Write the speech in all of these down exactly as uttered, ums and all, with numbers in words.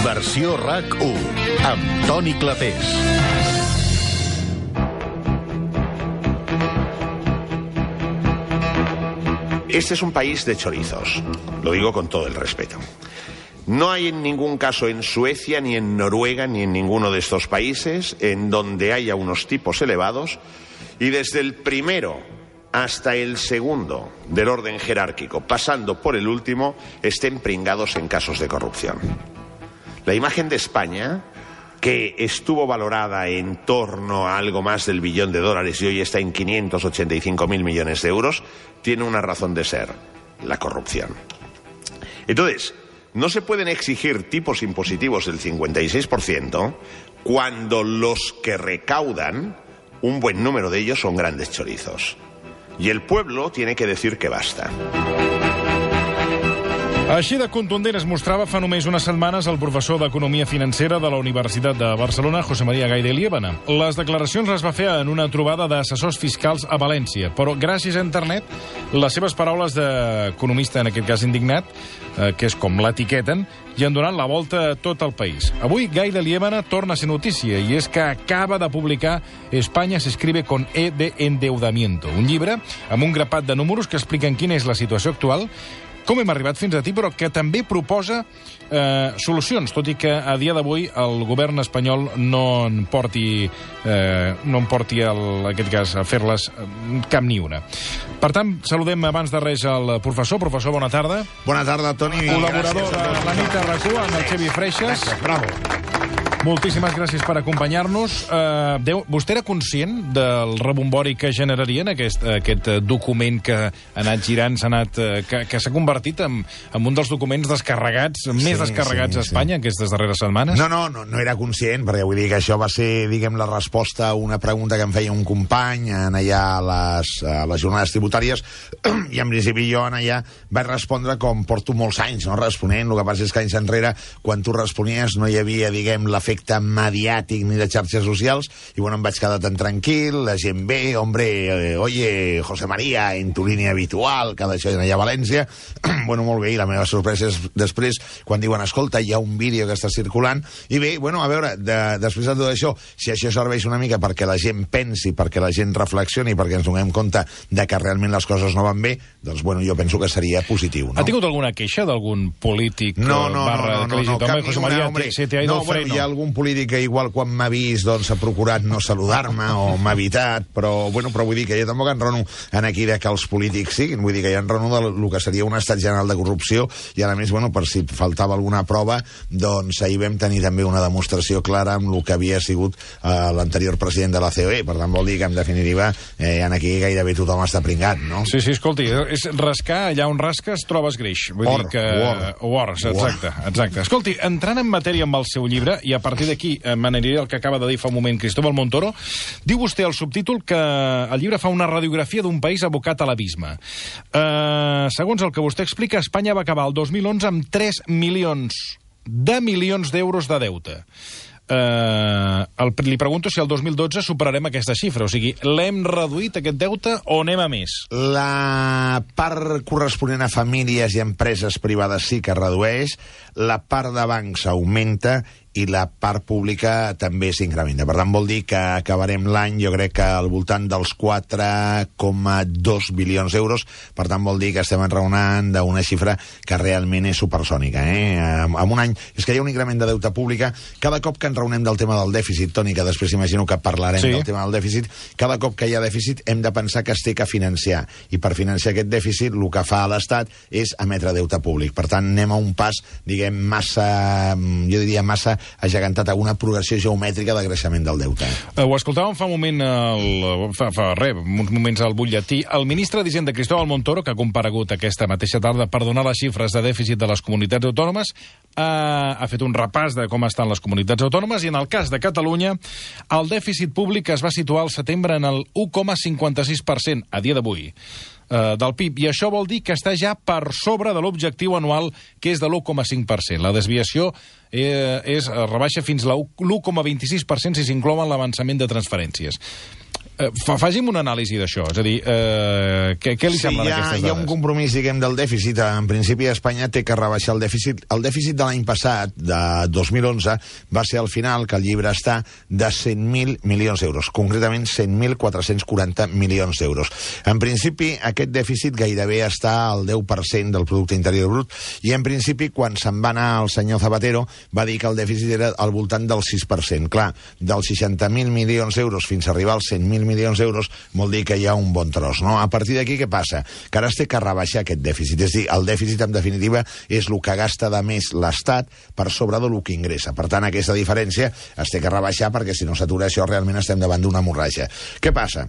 Versió RAC u, amb Toni Clapés. Este es un país de chorizos, lo digo con todo el respeto. No hay en ningún caso en Suecia, ni en Noruega, ni en ninguno de estos países en donde haya unos tipos elevados y desde el primero hasta el segundo del orden jerárquico, pasando por el último, estén pringados en casos de corrupción. La imagen de España, que estuvo valorada en torno a algo más del billón de dólares y hoy está en quinientos ochenta y cinco mil millones de euros, tiene una razón de ser: la corrupción. Entonces, no se pueden exigir tipos impositivos del cincuenta y seis por ciento cuando los que recaudan, un buen número de ellos, son grandes chorizos. Y el pueblo tiene que decir que basta. Així de contundent es mostrava fa només unes setmanes el professor d'Economia Financera de la Universitat de Barcelona, José María Gay de Liébana. Les declaracions les va fer en una trobada d'assessors fiscals a València, però gràcies a internet, les seves paraules d'economista, en aquest cas indignat, eh, que és com l'etiqueten, i han donat la volta a tot el país. Avui Gay de Liébana torna a ser notícia, i és que acaba de publicar España se escribe con E de endeudamiento, un llibre amb un grapat de números que expliquen quina és la situació actual, com hem arribat fins a ti, però que també proposa eh, solucions, tot i que a dia d'avui el govern espanyol no en porti, eh, no en porti el, en aquest cas, a fer-les cap ni una. Per tant, saludem abans de res el professor. Professor, bona tarda. Bona tarda, Toni. Col·laborador de la nit a RAC u amb el Xevi Freixas. Bravo. Moltíssimes gràcies per acompanyar-nos. Uh, Déu, vostè era conscient del rebombori que generarien aquest, aquest document que ha anat girant, s'ha anat, que, que s'ha convertit en, en un dels documents descarregats, sí, més descarregats sí, a Espanya sí. aquestes darreres setmanes? No, no, no, no era conscient, perquè vull dir que això va ser, diguem, la resposta a una pregunta que em feia un company en allà a les, a les jornades tributàries, i en principi jo en allà vaig respondre com porto molts anys, no?, responent. El que passa és que anys enrere, quan tu responies, no hi havia, diguem, l'efecte mediàtic ni de xarxes socials, i bueno, em vaig quedar tan tranquil, la gent ve, hombre, eh, oye, José María, en tu línia habitual, que d'això allà a València, bueno, molt bé, i la meva sorpresa és després, quan diuen, escolta, hi ha un vídeo que està circulant, i bé, bueno, a veure, de, després de tot això, si això serveix una mica perquè la gent pensi, perquè la gent reflexioni, perquè ens donem compte de que realment les coses no van bé, doncs, bueno, jo penso que seria positiu, no? Ha tingut alguna queixa d'algun polític no, no, barra no, no, que li no, hagi dit, home, José María, hombre, se te ha ido no, el freno? Bueno, hi ha algun polític que igual quan m'ha vist doncs ha procurat no saludar-me o m'ha evitat, però, bueno, però vull dir que jo tampoc enrono en aquí de que els polítics siguin, vull dir que ja enrono del que seria un estat general de corrupció, i a més, bueno, per si faltava alguna prova, doncs ahir vam tenir també una demostració clara amb el que havia sigut eh, l'anterior president de la C O E, per tant vol dir que en definitiva eh, en aquí gairebé tothom està pringat, no? Sí, sí, escolti, és rascar allà on rasques trobes greix. Vull or, dir que... or. Or, exacte, exacte. Escolti, entrant en matèria amb el seu llibre, i a partir d'aquí m'aniré el que acaba de dir fa un moment Cristóbal Montoro, diu vostè al subtítol que el llibre fa una radiografia d'un país abocat a l'abisme. Uh, segons el que vostè explica, Espanya va acabar el dos mil onze amb tres milions de milions d'euros de deute. Uh, el, li pregunto si el dos mil dotze superarem aquesta xifra, o sigui, l'hem reduït aquest deute o anem a més? La part corresponent a famílies i empreses privades sí que redueix, la part de bancs augmenta i la part pública també s'incrementa. Per tant, vol dir que acabarem l'any, jo crec que al voltant dels quatre coma dos bilions d'euros. Per tant, vol dir que estem enraonant d'una xifra que realment és supersònica. Eh? En un any, és que hi ha un increment de deute pública. Cada cop que enraonem del tema del dèficit, Toni, que després imagino que parlarem sí. del tema del dèficit, cada cop que hi ha dèficit hem de pensar que es té que financiar. I per financiar aquest dèficit, el que fa l'Estat és emetre deute públic. Per tant, anem a un pas, diguem, massa, jo diria massa agegantat a una progressió geomètrica de creixement del deute. Uh, ho escoltàvem fa un moment, el, fa, fa res, uns moments al butlletí. El ministre d'Hisenda, Cristóbal Montoro, que ha comparegut aquesta mateixa tarda per donar les xifres de dèficit de les comunitats autònomes, uh, ha fet un repàs de com estan les comunitats autònomes, i en el cas de Catalunya, el dèficit públic es va situar al setembre en el u coma cinquanta sis per cent, a dia d'avui, del P I B, i això vol dir que està ja per sobre de l'objectiu anual, que és de l'u coma cinc per cent. La desviació eh, és, rebaixa fins a l'u coma vint-i-sis per cent si s'inclouen l'avançament de transferències. Eh, fa, faci'm una anàlisi d'això, és a dir, eh, què, què li sí, sembla hi ha, d'aquestes dades? Hi ha un compromís, diguem, del dèficit. En principi, Espanya té que rebaixar el dèficit. El dèficit de l'any passat, de dos mil onze, va ser al final, que el llibre està, de cent mil milions d'euros, concretament cent mil quatre-cents quaranta milions d'euros. En principi, aquest dèficit gairebé està al deu per cent del producte interior brut, i en principi, quan se'n va anar el senyor Zapatero, va dir que el dèficit era al voltant del sis per cent. Clar, dels seixanta mil milions d'euros fins a arribar als cent mil milions d'euros, vol dir que hi ha un bon tros, no? A partir d'aquí, què passa? Que ara es té que rebaixar aquest dèficit. És a dir, el dèficit, en definitiva, és el que gasta de més l'Estat per sobre del que ingressa. Per tant, aquesta diferència es té que rebaixar, perquè si no s'atura això, realment estem davant d'una hemorràgia. Què passa?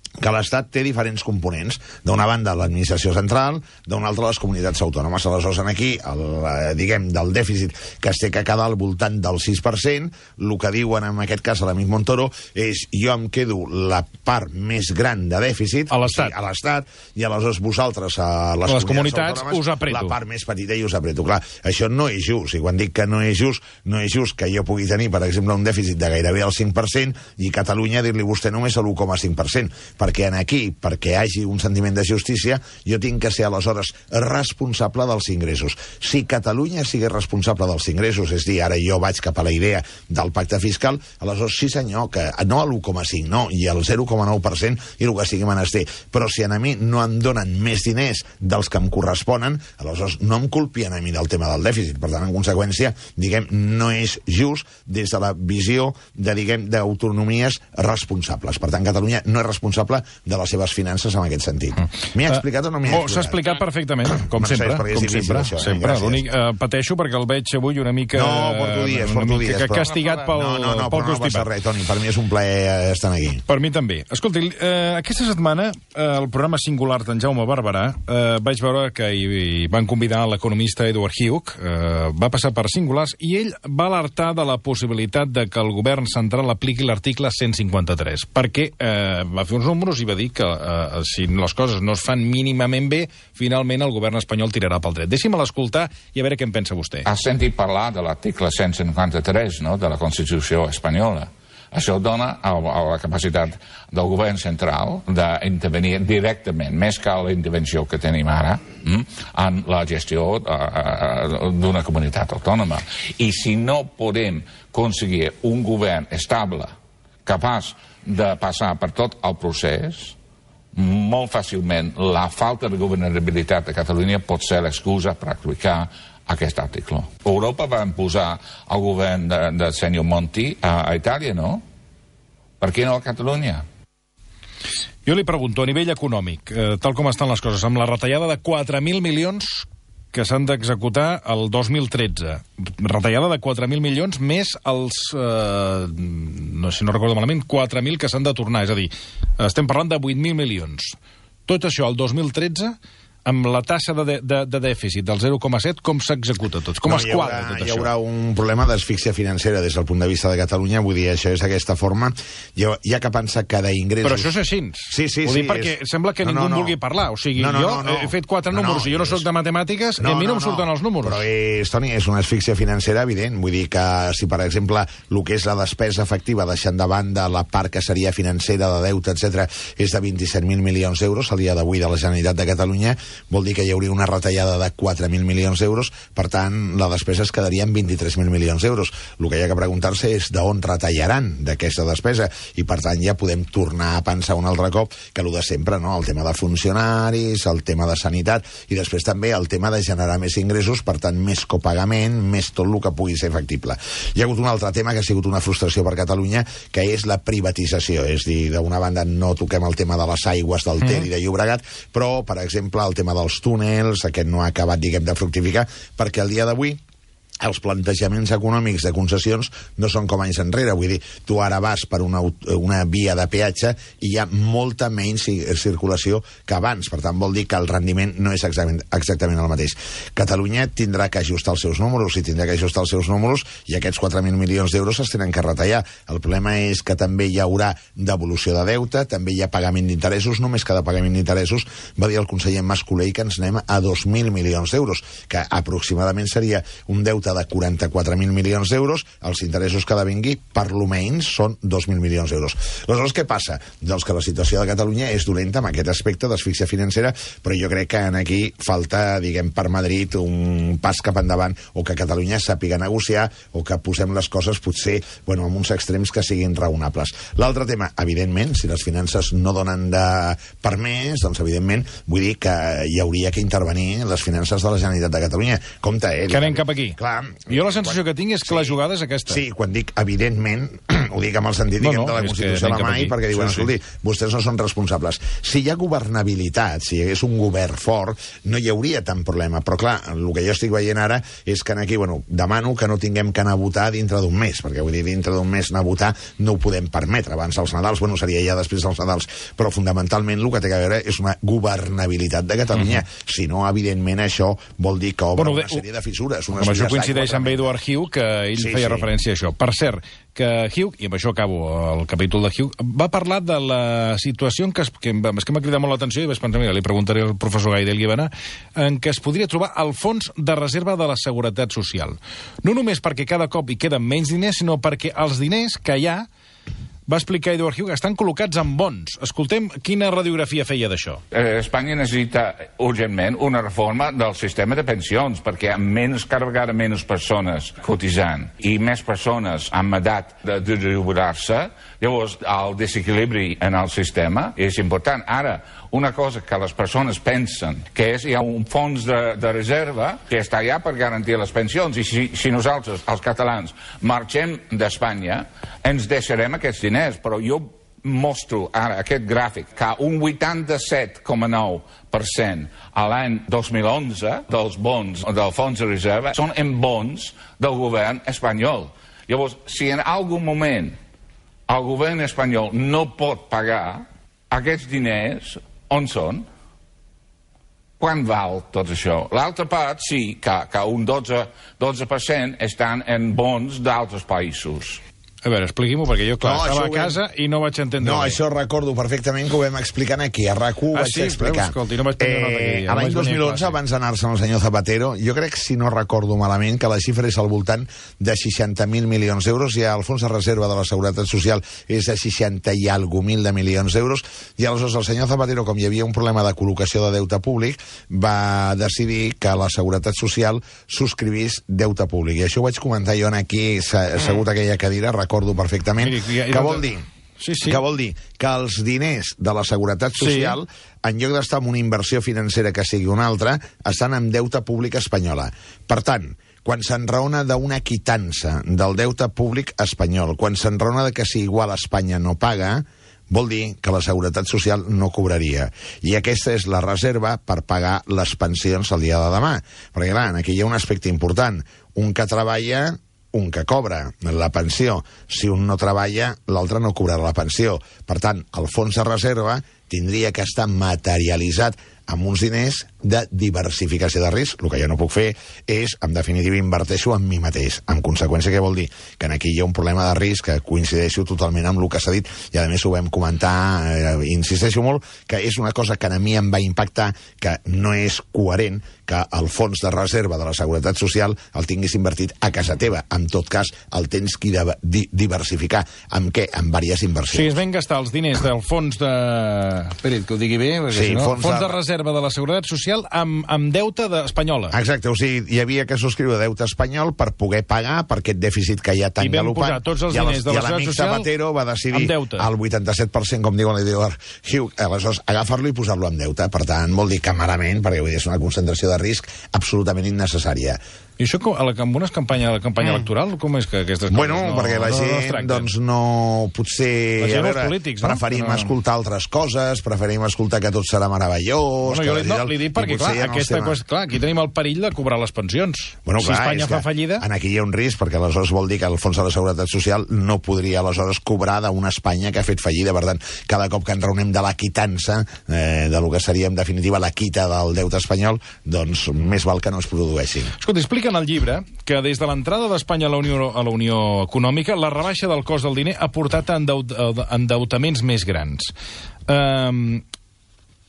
Que l'Estat té diferents components. D'una banda, l'administració central, d'una altra, les comunitats autònomes. Aleshores, aquí, el, diguem, del dèficit que es té que quedar al voltant del sis per cent, el que diuen, en aquest cas, a l'amic Montoro, és jo em quedo la part més gran de dèficit, a l'Estat, o sigui, a l'Estat, i aleshores vosaltres, a les, les comunitats, comunitats us apreto. La part més petita i us apreto. Clar, això no és just. I quan dic que no és just, no és just que jo pugui tenir, per exemple, un dèficit de gairebé el cinc per cent i Catalunya dir-li vostè només l'u coma cinc per cent. Perquè en aquí, perquè hi hagi un sentiment de justícia, jo tinc que ser aleshores responsable dels ingressos. Si Catalunya sigui responsable dels ingressos, és dir, ara jo vaig cap a la idea del pacte fiscal, aleshores sí senyor, que no a l'u coma cinc, no, i al zero coma nou per cent i el que sigui menester. Però si a mi no em donen més diners dels que em corresponen, aleshores no em culpien a mi del tema del dèficit. Per tant, en conseqüència, diguem, no és just des de la visió de, diguem, d'autonomies responsables. Per tant, Catalunya no és responsable de les seves finances en aquest sentit. M'hi ha explicat o no m'hi ha explicat? Oh, s'ha explicat perfectament, com Mercès, sempre. Com sempre, això, sempre. L'únic, eh, pateixo perquè el veig avui una mica... No, porto dies, una porto mica dies. Però... castigat pel, no, no, no, pel però no passa res, Toni. Per mi és un plaer estar aquí. Per mi també. Escolti, eh, aquesta setmana, eh, el programa singular d'en Jaume Barberà, eh, vaig veure que hi, hi van convidar l'economista Edward Hugh, eh, va passar per singulars, i ell va alertar de la possibilitat de que el govern central apliqui l'article cent cinquanta-tres, perquè eh, va fer uns números i va dir que eh, si les coses no es fan mínimament bé, finalment el govern espanyol tirarà pel dret. Deixi'm l'escoltar i a veure què en pensa vostè. Has sentit parlar de l'article cent cinquanta-tres, no?, de la Constitució espanyola. Això dona a, a la capacitat del govern central d'intervenir directament, més que la intervenció que tenim ara, hm, en la gestió d'una comunitat autònoma. I si no podem aconseguir un govern estable, capaç de passar per tot el procés, molt fàcilment la falta de governabilitat de Catalunya pot ser l'excusa per aplicar aquest article. Europa va imposar el govern de, de senyor Monti a, a Itàlia, no? Per què no a Catalunya? Jo li pregunto, a nivell econòmic, eh, tal com estan les coses, amb la retallada de quatre mil milions que s'han d'executar el dos mil tretze. Retallada de quatre mil milions més els, eh, no sé si no recordo malament, quatre mil que s'han de tornar. És a dir, estem parlant de vuit mil milions. Tot això el dos mil tretze, amb la tassa de, de, de dèficit del zero coma set, com s'executa tot? Com no, es quadra haurà, tot hi això? Hi haurà un problema d'asfíxia financera des del punt de vista de Catalunya, vull dir, això és d'aquesta forma. Hi ha, hi ha que pensar que d'ingressos... Però això és així. Sí, sí, Ho sí. dic perquè és... sembla que no, ningú no, no. vulgui parlar. O sigui, no, no, jo no, no. he fet quatre no, números no, i jo no és... soc de matemàtiques no, i a mi no, no em surten no. els números. Però és, Toni, és una asfíxia financera evident. Vull dir que si, per exemple, el que és la despesa efectiva, deixant de banda la part que seria financera, de deute, etcètera, és de vint-i-set mil milions d'euros al dia d'avui de la Generalitat de Catalunya, vol dir que hi hauria una retallada de quatre mil milions d'euros, per tant, la despesa es quedaria en vint-i-tres mil milions d'euros. El que hi ha que preguntar-se és d'on retallaran d'aquesta despesa, i per tant ja podem tornar a pensar un altre cop que el de sempre, no? El tema de funcionaris, el tema de sanitat, i després també el tema de generar més ingressos, per tant, més copagament, més tot el que pugui ser factible. Hi ha hagut un altre tema que ha sigut una frustració per Catalunya, que és la privatització. És dir, d'una banda no toquem el tema de les aigües del Ter i de Llobregat, però, per exemple, el tema dels túnels, aquest no ha acabat, diguem, de fructificar, perquè al dia d'avui els plantejaments econòmics de concessions no són com anys enrere. Vull dir, tu ara vas per una, una via de peatge i hi ha molta menys circulació que abans. Per tant, vol dir que el rendiment no és exactament, exactament el mateix. Catalunya tindrà que ajustar els seus números, i tindrà que ajustar els seus números, i aquests quatre mil milions d'euros es tenen que retallar. El problema és que també hi haurà devolució de deute, també hi ha pagament d'interessos. Només cada pagament d'interessos, va dir el conseller Mas Colell, que ens anem a dos mil milions d'euros, que aproximadament seria un deute deute de quaranta-quatre mil milions d'euros, els interessos que ha de vingui, per lo menys, són dos mil milions d'euros. Aleshores, què passa? Doncs que la situació de Catalunya és dolenta en aquest aspecte d'asfíxia financera, però jo crec que aquí falta, diguem, per Madrid un pas cap endavant, o que Catalunya sàpiga negociar, o que posem les coses potser, bueno, en uns extrems que siguin raonables. L'altre tema, evidentment, si les finances no donen de per més, doncs evidentment vull dir que hi hauria que intervenir les finances de la Generalitat de Catalunya. Compte, eh? Que anem cap aquí. Clar, jo la sensació quan... que tinc és que sí, la jugada és aquesta. Sí, quan dic evidentment, ho dic amb el sentit no, no, de la Constitució a la mà, perquè diuen, sí, escolti, sí, vostès no són responsables. Si hi ha governabilitat, si hi hagués un govern fort, no hi hauria tant problema. Però clar, el que jo estic veient ara és que aquí, bueno, demano que no tinguem que anar a votar dintre d'un mes, perquè vull dir, dintre d'un mes anar a votar no ho podem permetre. Abans dels Nadals, bueno, seria ja després dels Nadals, però fonamentalment el que té a veure és una governabilitat de Catalunya. Uh-huh. Si no, evidentment, això vol dir que obre bueno, una sèrie de fissures. Amb això coincideix amb Edward Hugh, que ell sí, feia sí. referència a això. Per cert, que Hugh, i amb això acabo el capítol de Hugh, va parlar de la situació en què, es, que, és que m'ha cridat molt l'atenció i vaig pensar, mira, li preguntaré al professor Gaidel Líbana, en què es podria trobar el fons de reserva de la Seguretat Social. No només perquè cada cop hi queden menys diners, sinó perquè els diners que hi ha, va explicar Edward Hugh, estan col·locats en bons. Escoltem quina radiografia feia d'això. Espanya necessita urgentment una reforma del sistema de pensions, perquè amb menys cada vegada menys persones cotitzant i més persones amb edat de, de jubilar-se, llavors el desequilibri en el sistema és important. Ara, una cosa que les persones pensen, que és hi ha un fons de, de reserva que està allà per garantir les pensions, i si, si nosaltres, els catalans, marxem d'Espanya, ens deixarem aquests diners, però jo mostro ara aquest gràfic que un vuitanta-set coma nou per cent a l'any dos mil onze dels bons del fons de reserva són en bons del govern espanyol. Llavors, si en algun moment el govern espanyol no pot pagar aquests diners, on són? Quan val tot això? L'altra part, sí, que, que un dotze per cent estan en bons d'altres països. A veure, expliqui-m'ho, perquè jo, clar, no, estava a casa vam... i no vaig entendre No, bé. Això recordo perfectament que ho vam explicar aquí, a RAC u ah, vaig sí? explicar. Escolti, no vaig prendre nota aquí. Eh, a l'any dos mil onze, abans d'anar-se amb el senyor Zapatero, jo crec, si no recordo malament, que la xifra és al voltant de seixanta mil milions d'euros, i el fons de reserva de la Seguretat Social és de seixanta i algo mil de milions d'euros, i aleshores el senyor Zapatero, com hi havia un problema de col·locació de deute públic, va decidir que la Seguretat Social subscrivís deute públic. I això ho vaig comentar jo aquí, assegut a aquella cadira, recordo perfectament. Miri, què vol dir? Sí, sí. Què vol dir? Que els diners de la Seguretat Social, sí, en lloc d'estar en una inversió financera que sigui una altra, estan en deute públic espanyola. Per tant, quan s'enraona d'una quitança del deute públic espanyol, quan s'enraona de que si igual Espanya no paga, vol dir que la Seguretat Social no cobraria. I aquesta és la reserva per pagar les pensions el dia de demà. Perquè, clar, aquí hi ha un aspecte important. Un que treballa, un que cobra la pensió. Si un no treballa, l'altre no cobrarà la pensió. Per tant, el fons de reserva tindria que estar materialitzat amb uns diners de diversificació de risc. El que jo no puc fer és, en definitiva, inverteixo en mi mateix. En conseqüència, què vol dir? Que aquí hi ha un problema de risc que coincideixo totalment amb el que s'ha dit, i a més ho vam comentar, eh, insisteixo molt, que és una cosa que a mi em va impactar, que no és coherent que el fons de reserva de la Seguretat Social el tinguis invertit a casa teva. En tot cas, el tens que di diversificar. Amb què? Amb diverses inversions. Sí, es van gastar els diners del fons de... Espera't, que ho digui bé, perquè sí, si no... Fons, fons de... de reserva de la Seguretat Social amb, amb deute de... espanyola. Exacte, o sigui, hi havia que subscriure deute espanyol per poder pagar per aquest dèficit que hi ha tan galopant. I vam posar tots els diners de la Seguretat Social Zapatero va decidir al vuitanta-set per cent, com diuen l'Edward Hugh, aleshores agafar-lo i posar-lo en deute. Per tant, vol dir que malament, perquè vull dir, és una concentració de risc absolutament innecessària. I això a la, amb una campanya, la campanya mm. electoral, com és que aquestes coses bueno, no, perquè la no, gent, no doncs no, potser, la gent, a veure, polítics, no? preferim no. escoltar altres coses, preferim escoltar que tot serà meravellós... Bueno, jo li, no, li dic perquè, clar, aquesta cosa, clar, aquí tenim el perill de cobrar les pensions. Bueno, si clar, Espanya fa fallida... En aquí hi ha un risc, perquè aleshores vol dir que el Fons de la Seguretat Social no podria aleshores cobrar d'una Espanya que ha fet fallida. Per tant, cada cop que ens reunem de la quitança, eh, de lo que seria, en definitiva, la quita del deute espanyol, doncs més val que no es produeixi. Escolta, explica en el llibre que des de l'entrada d'Espanya a la Unió a la Unió Econòmica, la rebaixa del cost del diner ha portat a endeut, a endeutaments més grans. Um,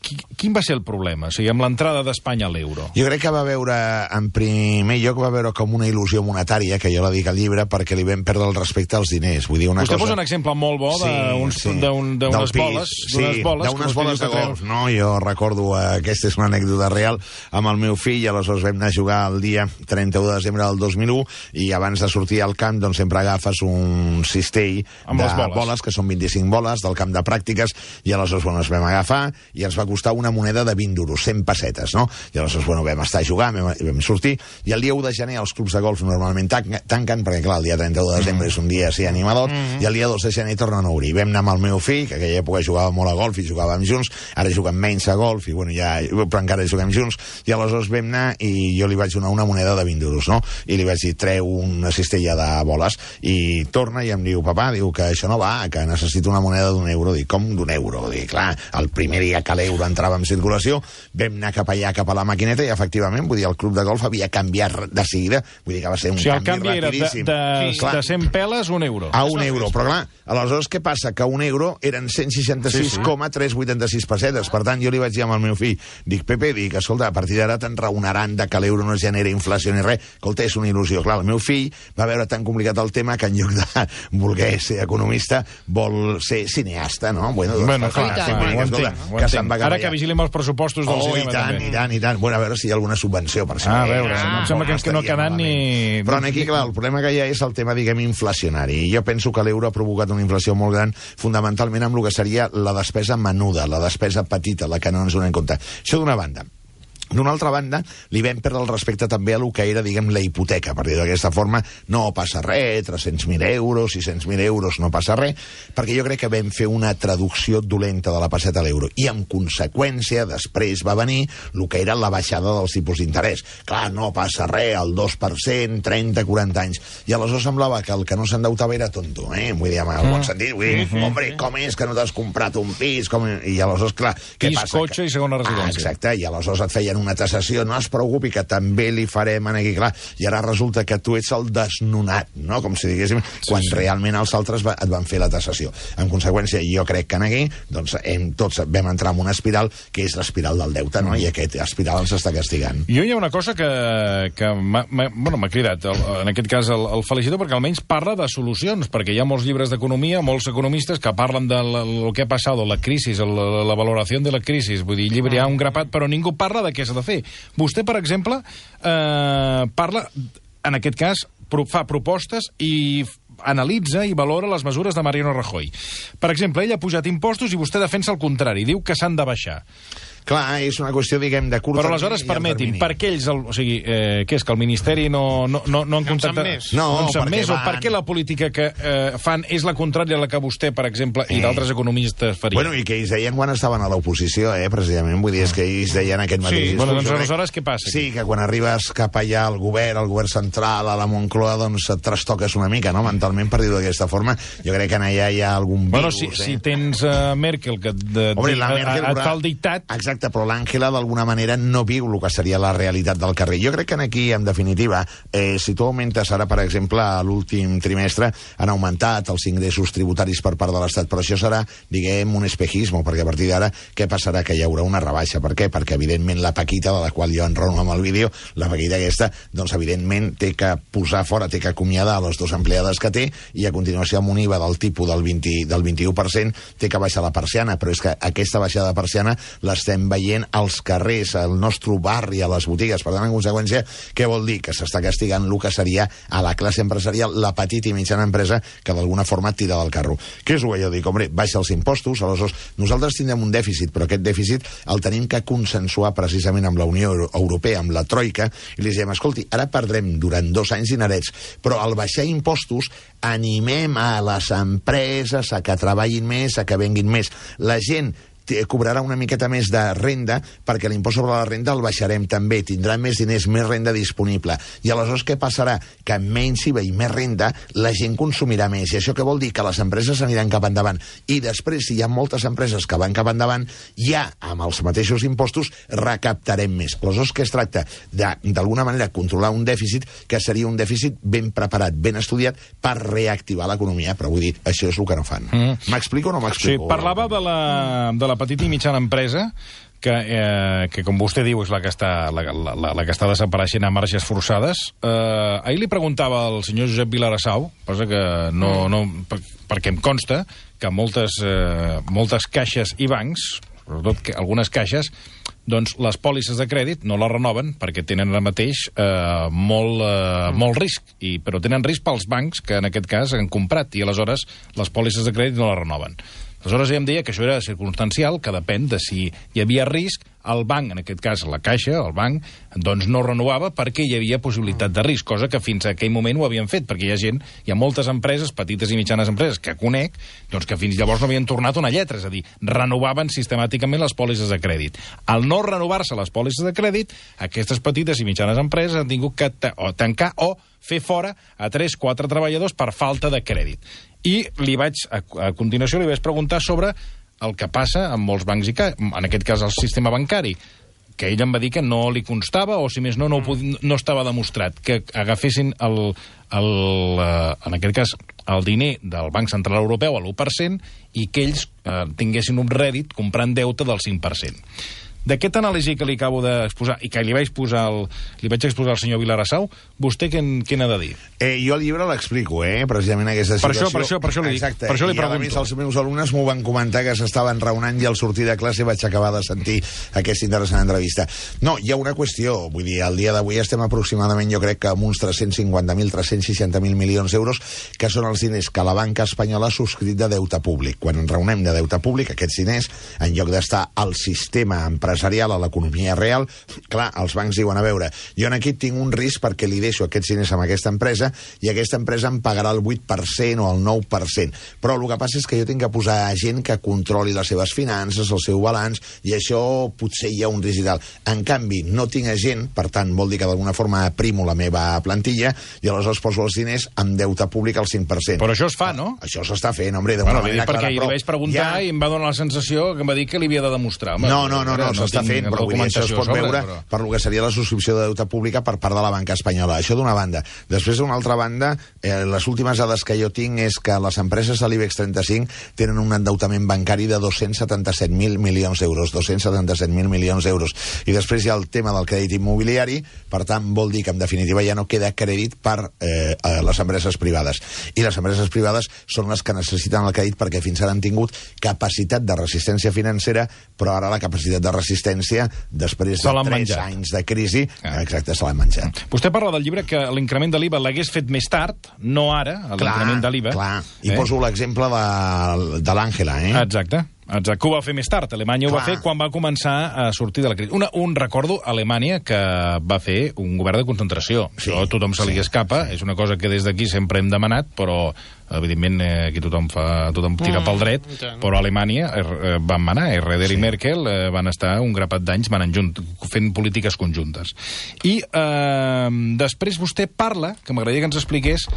quin va ser el problema? O sigui, amb l'entrada d'Espanya a l'euro. Jo crec que va veure, en primer lloc, va veure com una il·lusió monetària, que jo la dic al llibre, perquè li vam perdre el respecte als diners. Vull dir, una Vostè cosa... posa un exemple molt bo d'unes sí, sí. boles, boles, sí, d'unes boles de golf. No, jo recordo, eh, aquesta és una anècdota real, amb el meu fill, aleshores vam anar a jugar el dia trenta-u de desembre del dos mil u, i abans de sortir al camp, doncs sempre agafes un cistell amb de boles. boles, que són vint-i-cinc boles, del camp de pràctiques, i aleshores, bueno, ens vam agafar, i ens va costar una moneda de vint duros, cent pessetes, no? I aleshores, bueno, vam estar jugant, vam, vam sortir, i el dia u de gener els clubs de golf normalment tanquen, perquè clar, el dia trenta-u de desembre mm. és un dia així animador, mm. i el dia dos de gener tornen a obrir. Vam anar amb el meu fill, que aquella època jugava molt a golf i jugàvem junts, ara juguem menys a golf, i bueno, ja, però encara juguem junts, i aleshores vam anar i jo li vaig donar una moneda de vint duros, no? I li vaig dir, treu una cistella de boles, i torna i em diu, papà, diu que això no va, que necessito una moneda d'un euro. Dic, com d'un euro? Dic, clar, el primer dia que l'euro entrava en circulació, vam anar cap allà, cap a la maquineta, i efectivament, vull dir, el club de golf havia canviat de seguida, vull dir que va ser un o sigui, canvi rapidíssim. El canvi era de, de, de cent peles un euro. A un euro, però clar, aleshores què passa? Que un euro eren cent seixanta-sis coma tres cents vuitanta-sis pessetes. Per tant, jo li vaig dir amb el meu fill, dic, Pepe, dic, escolta, a partir d'ara t'enraonaran de que l'euro no genera inflació ni res. Escolta, és una il·lusió. Clar, el meu fill va veure tan complicat el tema que en lloc de voler ser economista vol ser cineasta, no? Bueno, doncs, bueno clar, clar, clar, ho entenc, ho entenc. Ara que vigilem els pressupostos del oh, cinema, i tant, també. i tant, i tant. Bueno, a veure si hi ha alguna subvenció per ah, a veure, ah, em sembla que, que no ha quedat ni... Però aquí, clar, el problema que hi ha és el tema, diguem, inflacionari. I jo penso que l'euro ha provocat una inflació molt gran, fonamentalment amb el que seria la despesa menuda, la despesa petita, la que no ens donem compte. Això d'una banda. D'una altra banda, li vam perdre el respecte també a lo que era, diguem, la hipoteca. Per dir d'aquesta forma, no passa res, tres-cents mil euros, sis-cents mil euros, no passa res, perquè jo crec que vam fer una traducció dolenta de la passeta a l'euro. I, en conseqüència, després va venir el que era la baixada dels tipus d'interès. Clar, no passa res, el dos per cent, trenta, quaranta anys. I aleshores semblava que el que no s'endeutava era tonto, eh? Vull dir, en el bon sentit, vull dir, mm-hmm. hombre, com és que no t'has comprat un pis? Com... I aleshores, clar, què pis, passa? Pis, cotxe que... i segona residència. Ah, exacte, i aleshores et feien una tassació, no es preocupi, que també li farem aquí, clar, i ara resulta que tu ets el desnonat, no? Com si diguéssim, sí, quan sí. realment els altres va, et van fer la tassació. En conseqüència, jo crec que aquí, doncs, hem, tots vam entrar en una espiral, que és l'espiral del deute, no? I aquest espiral ens està castigant. Jo hi ha una cosa que, que m'ha bueno, cridat, el, en aquest cas el, el felicito, perquè almenys parla de solucions, perquè hi ha molts llibres d'economia, molts economistes que parlen de lo que ha passat, la crisi, la, la valoració de la crisi, vull dir, llibre hi ha un grapat, però ningú parla de què s'ha de fer. Vostè, per exemple, eh, parla, en aquest cas, pro, fa propostes i analitza i valora les mesures de Mariano Rajoy. Per exemple, ell ha pujat impostos i vostè defensa el contrari, diu que s'han de baixar. Clar, és una qüestió, diguem, de curt termini. Però aleshores, permetin, per què ells, el, o sigui, eh, què és, que el Ministeri no, no, no, no han contactat... més. No, no en sap més, van... o per què la política que eh, fan és la contrària a la que vostè, per exemple, i d'altres economistes farien? Bueno, i que ells deien quan estaven a l'oposició, eh, precisament, vull dir, és que ells deien aquest mateix sí, discurs. Bueno, doncs aleshores què passa? Aquí? Sí, que quan arribes cap allà al govern, al govern central, a la Moncloa, doncs et trastoques una mica, no?, mentalment, per dir-ho d'aquesta forma. Jo crec que allà hi ha algun virus, bueno, si, eh? si tens uh, Merkel, que de, Hombre, de, la Merkel, et fa el dictat... Exacte, però l'Àngela d'alguna manera no viu el que seria la realitat del carrer. Jo crec que aquí, en definitiva, eh, si tu augmentes ara, per exemple, a l'últim trimestre han augmentat els ingressos tributaris per part de l'Estat, però això serà, diguem, un espejisme, perquè a partir d'ara què passarà? Que hi haurà una rebaixa. Per què? Perquè, evidentment, la Paquita, de la qual jo enrono amb el vídeo, la Paquita aquesta, doncs, evidentment, té que posar fora, té que acomiadar les dues empleades que té, i a continuació, amb un I V A del tipus del, vint, del vint-i-u per cent, té que baixar la persiana, però és que aquesta baixada de persiana l'estem veient als carrers, al nostre barri, a les botigues. Per tant, en conseqüència, què vol dir? Que s'està castigant el que seria a la classe empresarial, la petita i mitjana empresa, que d'alguna forma tira del carro. Què és el que jo dic? Hombre, baixa els impostos, aleshores nosaltres tindrem un dèficit, però aquest dèficit el tenim que consensuar precisament amb la Unió Europea, amb la Troika, i li diem, escolti, ara perdrem durant dos anys dinerets, però al baixar impostos animem a les empreses a que treballin més, a que venguin més. La gent cobrarà una miqueta més de renda, perquè l'impost sobre la renda el baixarem també, tindrà més diners, més renda disponible. I aleshores què passarà? Que amb menys I V A i més renda la gent consumirà més. I això què vol dir? Que les empreses aniran cap endavant. I després, si hi ha moltes empreses que van cap endavant, ja amb els mateixos impostos recaptarem més. Aleshores, què es tracta? D'alguna manera controlar un dèficit que seria un dèficit ben preparat, ben estudiat per reactivar l'economia. Però vull dir, això és el que no fan. Mm. M'explico o no m'explico? Sí, parlava de la, de la petita i mitjana empresa, que, eh, que com vostè diu és la que està, la, la, la, la que està desapareixent a marges forçades. Eh, ahir li preguntava al senyor Josep Vilarassau, cosa que no, no, per, perquè em consta que moltes, eh, moltes caixes i bancs, sobretot que algunes caixes, doncs les pòlisses de crèdit no les renoven perquè tenen ara mateix eh, molt, eh, molt risc, i, però tenen risc pels bancs que en aquest cas han comprat, i aleshores les pòlisses de crèdit no les renoven. Aleshores ella em deia que això era circumstancial, que depèn de si hi havia risc, el banc, en aquest cas la caixa, el banc, doncs no renovava perquè hi havia possibilitat de risc, cosa que fins a aquell moment ho havien fet, perquè hi ha gent, hi ha moltes empreses, petites i mitjanes empreses, que conec, doncs que fins llavors no havien tornat una lletra, és a dir, renovaven sistemàticament les pòlisses de crèdit. Al no renovar-se les pòlisses de crèdit, aquestes petites i mitjanes empreses han tingut que ta o tancar o fer fora a tres o quatre treballadors per falta de crèdit. I li vaig, a, a continuació li vaig preguntar sobre el que passa amb molts bancs, i ca... en aquest cas el sistema bancari, que ell em va dir que no li constava, o si més no, no, no estava demostrat, que agafessin el, el, eh, en aquest cas el diner del Banc Central Europeu a l'u per cent i que ells eh, tinguessin un rèdit comprant deute del cinc per cent. D'aquest anàlisi que li acabo d'exposar i que li vaig posar el, li vaig exposar al senyor Vilarassau, vostè què, què n'ha de dir? Eh, jo el llibre l'explico, eh, precisament aquesta situació. Per això, per això, per això li dic. Exacte. Per això li I pregunto. a més els meus alumnes m'ho van comentar, que s'estaven raonant, i al sortir de classe vaig acabar de sentir aquesta interessant entrevista. No, hi ha una qüestió, vull dir, al dia d'avui estem aproximadament, jo crec que amb uns tres-cents cinquanta mil, tres-cents seixanta mil milions d'euros, que són els diners que la banca espanyola ha subscrit de deute públic. Quan en raonem de deute públic, aquests diners, en lloc d'estar al sistema empresarial, a l'economia real, clar, els bancs diuen, a veure, jo en aquí tinc un risc perquè li deixo aquests diners amb aquesta empresa i aquesta empresa em pagarà el vuit per cent o el nou per cent. Però el que passa és que jo tinc que posar gent que controli les seves finances, el seu balanç, i això potser hi ha un risc i tal. En canvi, no tinc gent, per tant, vol dir que d'alguna forma aprimo la meva plantilla i aleshores poso els diners amb deute públic al cinc per cent. Però això es fa, no? Això s'està fent, home, d'una bueno, manera clara. Perquè però li vaig preguntar ja... i em va donar la sensació que em va dir que li havia de demostrar. Home, no, no, no, no, no s'està fent, però vull dir, això es pot sobre, veure però... per lo que seria la subscripció de deute pública per part de la banca espanyola. Això d'una banda. Després, d'una altra banda, eh, les últimes dades que jo tinc és que les empreses de l'IBEX trenta-cinc tenen un endeutament bancari de dos-cents setanta-set mil milions d'euros. dos-cents setanta-set mil milions d'euros. I després hi ha el tema del crèdit immobiliari, per tant, vol dir que, en definitiva, ja no queda crèdit per eh, a les empreses privades. I les empreses privades són les que necessiten el crèdit perquè fins ara han tingut capacitat de resistència financera, però ara la capacitat de resistència, després de tres menjat. anys de crisi, ah. exacte, se l'han menjat. Vostè parla del llibre que l'increment de l'I V A l'hagués fet més tard, no ara, l'increment de l'I V A. Clar, i eh? poso l'exemple de, de l'Àngela, eh? Exacte. Exacte, que ho va fer més tard. Alemanya Clar. ho va fer quan va començar a sortir de la crisi. Una, un recordo, Alemanya, que va fer un govern de concentració. Sí, Això a tothom se li sí, escapa, sí. És una cosa que des d'aquí sempre hem demanat, però evidentment eh, aquí tothom, fa, tothom tira mm, pel dret, ja. Però a Alemanya eh, van manar, Schröder sí. i Merkel eh, van estar un grapat d'anys manant junt, fent polítiques conjuntes. I eh, després vostè parla, que m'agradaria que ens expliqués,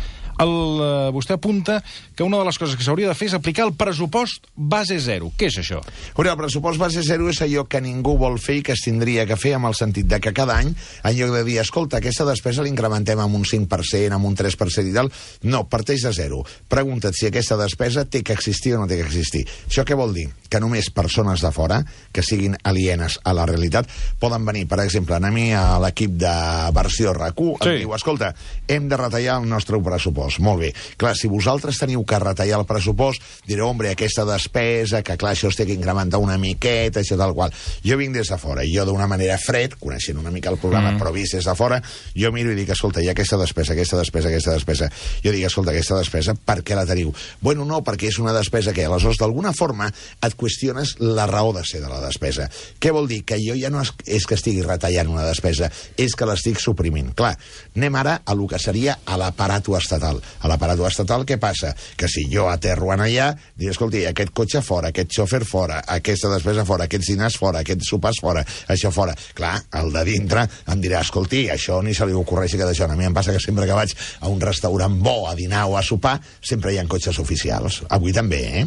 el, eh, vostè apunta que una de les coses que s'hauria de fer és aplicar el pressupost base zero. Què és això? Uri, el pressupost base zero és allò que ningú vol fer i que es tindria que fer, amb el sentit de que cada any, en lloc de dir, escolta, aquesta despesa l'incrementem amb un cinc per cent, amb un tres per cent i tal, no, parteix de zero. Pregunta't si aquesta despesa té que existir o no té que existir. Això què vol dir? Que només persones de fora, que siguin alienes a la realitat, poden venir, per exemple, a mi a l'equip de versió R A C U, sí. Em diu, escolta, hem de retallar el nostre pressupost. Molt bé. Clar, si vosaltres teniu que retallar el pressupost, direu, hombre, aquesta despesa, que clar, això es té que incrementar una miqueta, això tal qual. Jo vinc des de fora, i jo d'una manera fred, coneixent una mica el programa, mm. però vist des de fora, jo miro i dic, escolta, hi ha aquesta despesa, aquesta despesa, aquesta despesa. Jo dic, escolta, aquesta despesa, per què la teniu? Bueno, no, perquè és una despesa que, aleshores, d'alguna forma, et qüestiones la raó de ser de la despesa. Què vol dir? Que jo ja no és, és que estigui retallant una despesa, és que l'estic suprimint. Clar, anem ara a lo que seria a l'aparato estatal. A l'aparato estatal, què passa? Que si jo aterro en allà, dic, escolti, aquest cotxe fora, aquest xòfer fora, aquesta despesa fora, aquests dinars fora, aquests sopars fora, això fora. Clar, el de dintre em dirà, escolti, això ni se li ocorreixi que d'això. A mi em passa que sempre que vaig a un restaurant bo a dinar o a sopar, sempre hi ha cotxes oficials. Avui també, eh?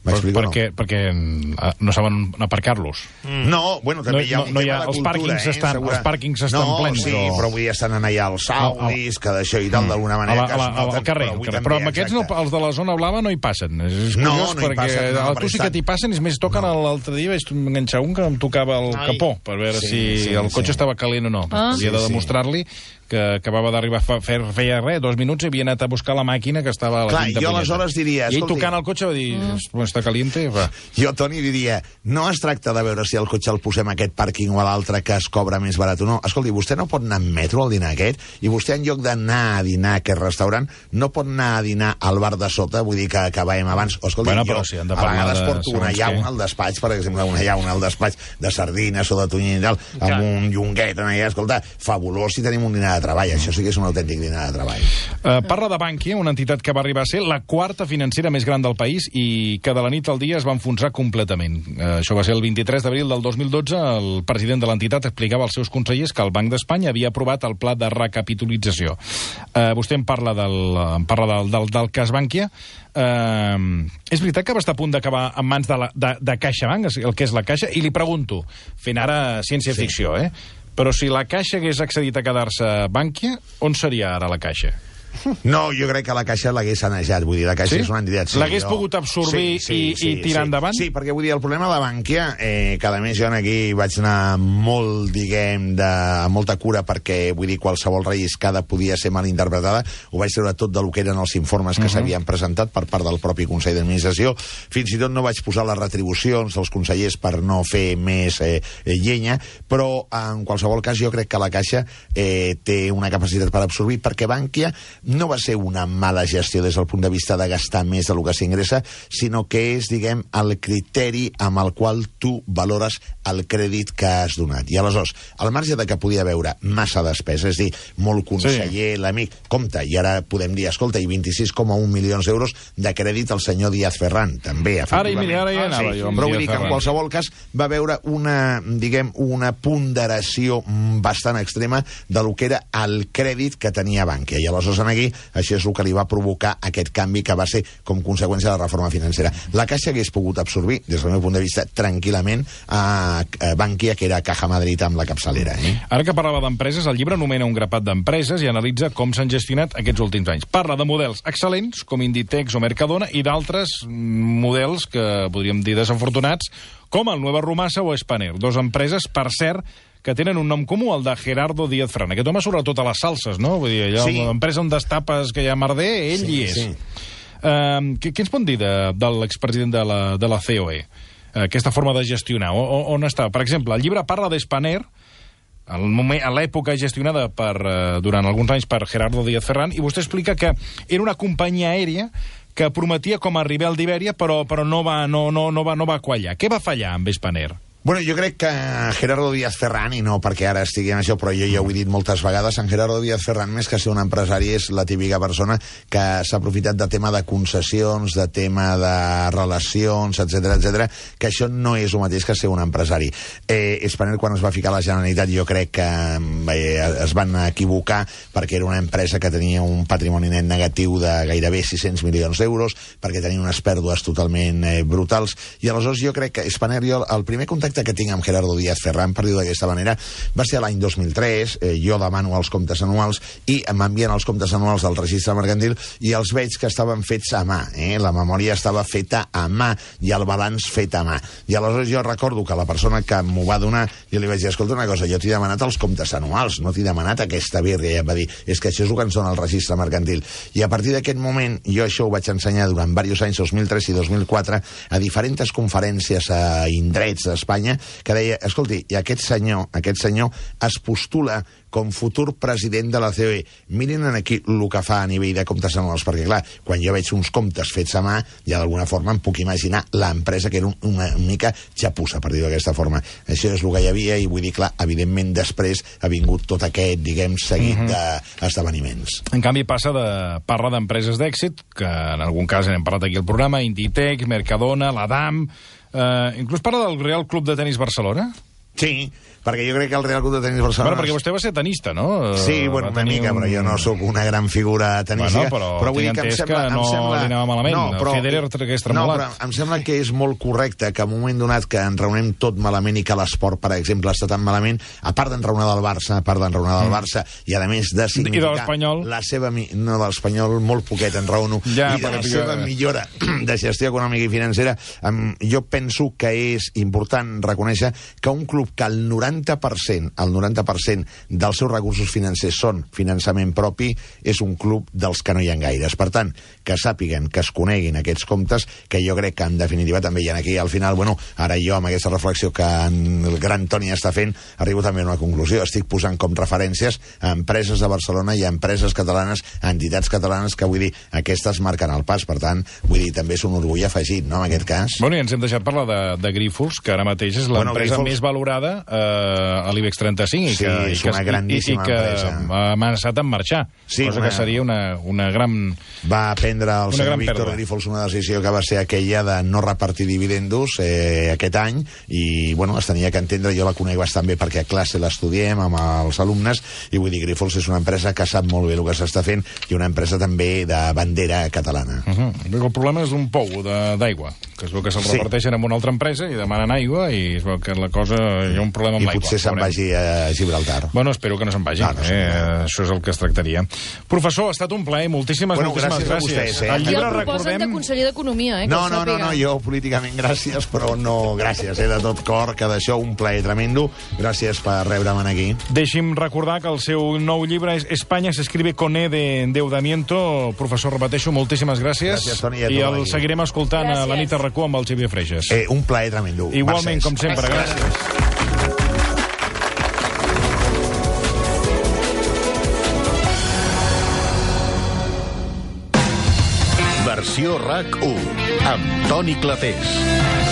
M'explico, no? Perquè, perquè no saben aparcar-los. Mm. No, bueno, també no, hi ha un no, no tema hi ha, de els cultura, pàrquings eh? estan, Segura... els pàrquings estan no, plens. Sí, o... però avui estan allà els saudis, que d'això i tal, d'alguna manera... A la, a la, al carrer, però, carrer. però amb aquests, no, els de la zona blava, no hi passen. És curiós, no, no perquè passen, no, a tu sí que t'hi passen, és més, toquen no. l'altre dia, vaig enganxar un que em tocava el Ai. capó, per veure sí, si sí, el cotxe sí. estava calent o no. Ah. Havia de demostrar-li que acabava d'arribar a fer, feia res, dos minuts, i havia anat a buscar la màquina que estava a la Clar, quinta jo punyeta. aleshores diria... I ell tocant el cotxe va dir, mm. està caliente, va. Jo, Toni, diria, no es tracta de veure si el cotxe el posem a aquest pàrquing o a l'altre que es cobra més barat o no. Escolti, vostè no pot anar en metro al dinar aquest, i vostè en lloc d'anar a dinar a aquest restaurant, no pot anar a dinar al bar de sota, vull dir que, que veiem abans. O, escolti, bueno, jo si a vegades de... porto una llauna al despatx, per exemple, una llauna al despatx de sardines o de tonyina i tal, amb Clar. un llonguet en allà, escolta, fabulós si tenim un dinar de treball, això sí que és un autèntic dinar de treball. Uh, parla de Bankia, una entitat que va arribar a ser la quarta financera més gran del país i que de la nit al dia es va enfonsar completament. Uh, això va ser el vint-i-tres d'abril del dos mil dotze. El president de l'entitat explicava als seus consellers que el Banc d'Espanya havia aprovat el pla de recapitalització. Uh, vostè em parla del, em parla del, del, del cas Bankia. Uh, és veritat que va estar a punt d'acabar en mans de, la, de, de CaixaBank, el que és la Caixa, i li pregunto, fent ara ciència-ficció, sí. eh? Però si la Caixa hagués accedit a quedar-se a Bankia, on seria ara la Caixa? No, jo crec que la Caixa l'hagués sanejat, vull dir, la Caixa sí? és una entitat... Sí, l'hagués jo... pogut absorbir sí, sí, i, sí, i tirar sí. endavant? Sí, perquè vull dir, el problema de la Bankia, eh, que a més jo aquí vaig anar molt, diguem, de molta cura perquè, vull dir, qualsevol relliscada podia ser mal interpretada, ho vaig treure tot del que eren els informes que uh -huh. s'havien presentat per part del propi Consell d'Administració, fins i tot no vaig posar les retribucions dels consellers per no fer més eh, llenya, però en qualsevol cas jo crec que la Caixa eh, té una capacitat per absorbir, perquè Bankia no va ser una mala gestió des del punt de vista de gastar més del que s'ingressa, sinó que és, diguem, el criteri amb el qual tu valores el crèdit que has donat. I aleshores, al marge de que podia haver massa despesa, és dir, molt conseller, sí. l'amic, compte, i ara podem dir, escolta, i vint-i-sis coma un milions d'euros de crèdit al senyor Díaz Ferran, també, efectivament. Ara, ara ja anava ah, sí, jo però vull dir que en qualsevol cas va haver una, diguem, una ponderació bastant extrema de lo que era el crèdit que tenia Bankia. I aleshores aquí, això és el que li va provocar aquest canvi que va ser com conseqüència de la reforma financera. La Caixa hagués pogut absorbir, des del meu punt de vista, tranquil·lament a Bankia, que era Caja Madrid amb la capçalera. Eh? Ara que parlava d'empreses, el llibre anomena un grapat d'empreses i analitza com s'han gestionat aquests últims anys. Parla de models excel·lents, com Inditex o Mercadona, i d'altres models que podríem dir desafortunats, com el Nueva Rumasa o Spanair, dos empreses, per cert, que tenen un nom comú, el de Gerardo Díaz Ferran. Aquest home sobretot a les salses, no? Vull dir, allà, sí. l'empresa on destapes que hi ha merder, ell sí, hi és. Sí. Uh, què, què ens pot dir de, de l'expresident de la, de la C O E? Uh, aquesta forma de gestionar, o, on està? Per exemple, el llibre parla d'Spanair, a l'època gestionada per, uh, durant alguns anys per Gerardo Díaz Ferran, i vostè explica que era una companyia aèria que prometia com a Rivel d'Ibèria, però, però no, va, no, no, no, va, no va quallar. Què va fallar amb Spanair? Bueno, jo crec que Gerardo Díaz Ferran, i no perquè ara estigui en això, però jo ja ho he dit moltes vegades, en Gerardo Díaz Ferran, més que ser un empresari, és la típica persona que s'ha aprofitat de tema de concessions, de tema de relacions, etcètera, etcètera, que això no és el mateix que ser un empresari. Eh, Spanair, quan es va ficar a la Generalitat, jo crec que eh, es van equivocar perquè era una empresa que tenia un patrimoni net negatiu de gairebé sis-cents milions d'euros, perquè tenia unes pèrdues totalment eh, brutals, i aleshores jo crec que Spanair, jo, el primer contacte que tinc amb Gerardo Díaz Ferran, per dir-ho d'aquesta manera, va ser l'any dos mil tres, eh, jo demano els comptes anuals i m'envien els comptes anuals del registre mercantil i els veig que estaven fets a mà, eh? La memòria estava feta a mà i el balanç fet a mà. I aleshores jo recordo que la persona que m'ho va donar, jo li vaig dir, escolta una cosa, jo t'he demanat els comptes anuals, no t'he demanat aquesta birria, i em va dir, és que això és el que ens dona el registre mercantil. I a partir d'aquest moment, jo això ho vaig ensenyar durant diversos anys, dos mil tres i dos mil quatre, a diferents conferències a indrets d'Espanya, que deia, escolti, i aquest senyor, aquest senyor es postula com futur president de la C O E. Miren aquí el que fa a nivell de comptes anuals, perquè clar, quan jo veig uns comptes fets a mà, ja d'alguna forma em puc imaginar l'empresa que era una mica xapussa, per dir-ho d'aquesta forma. Això és el que hi havia, i vull dir, clar, evidentment després ha vingut tot aquest, diguem, seguit uh -huh. d'esdeveniments. En canvi, passa de parla d'empreses d'èxit, que en algun cas n'hem parlat aquí al programa, Inditex, Mercadona, l'Adam... Uh, inclús parla del Real Club de Tenis Barcelona? Sí, perquè jo crec que el Real Club de Tenis Barcelona... Bueno, perquè vostè va ser tenista, no? Sí, bueno, una mica, un... però jo no sóc una gran figura tenística. Bueno, però, però vull dir tinc que em entès sembla, que no em sembla... li anava malament. No, però, Federer tragués tremolat. no, però em sembla que és molt correcte que en un moment donat que enraonem tot malament i que l'esport, per exemple, està tan malament, a part d'enraonar del Barça, a part d'enraonar del Barça, i a més de significar... I de l'Espanyol? La seva... No, de l'Espanyol molt poquet enraono. Ja, I de la perquè... seva millora de gestió econòmica i financera, jo penso que és important reconèixer que un club que el noranta per cent, el noranta per cent dels seus recursos financers són finançament propi, és un club dels que no hi ha gaires. Per tant, que sàpiguen, que es coneguin aquests comptes, que jo crec que en definitiva també hi ha aquí. Al final, bueno, ara jo amb aquesta reflexió que el gran Toni està fent, arribo també a una conclusió. Estic posant com referències a empreses de Barcelona i a empreses catalanes, a entitats catalanes, que vull dir, aquestes marquen el pas. Per tant, vull dir, també és un orgull afegit, no?, en aquest cas. Bueno, i ens hem deixat parlar de, de Grífols, que ara mateix és l'empresa bueno, Grífols... més valorada eh, a l'IBEX trenta-cinc. Sí, que, és una grandíssima i, i que empresa. ha amenaçat en marxar, sí, cosa una... que seria una, una gran... Va prendre el senyor Víctor pèrdua. Grífols una decisió que va ser aquella de no repartir dividendos eh, aquest any, i bueno, es tenia que entendre, jo la conec bastant bé perquè a classe l'estudiem amb els alumnes, i vull dir, Grífols és una empresa que sap molt bé el que s'està fent i una empresa també de bandera catalana. Uh -huh. El problema és un pou d'aigua, que es veu que se'l sí. reparteixen amb una altra empresa i demanen aigua, i es veu que la cosa, hi ha un problema amb l'aigua. I potser se'n vagi a Gibraltar. Bueno, espero que no se'n vagi. No, no eh, això és el que es tractaria. Professor, ha estat un plaer. Moltíssimes, bueno, moltíssimes gràcies. gràcies. A vostès, eh? El llibre, I el proposen recordem... de conseller d'Economia, eh? No, no, no, no, jo políticament gràcies, però no gràcies, eh, de tot cor, que d'això un plaer tremendo. Gràcies per rebre'm aquí. Deixi'm recordar que el seu nou llibre és Espanya s'escribe con E de endeudamiento. Professor, repeteixo, moltíssimes gràcies. Gràcies, Toni, a I el aquí. seguirem escoltant gràcies. a la nit a RAC u amb el Xavier Freixas. Eh, un plaer tremendo. Igualment, Mercès. com sempre, gràcies. gràcies. Versió RAC u amb Toni Clapés.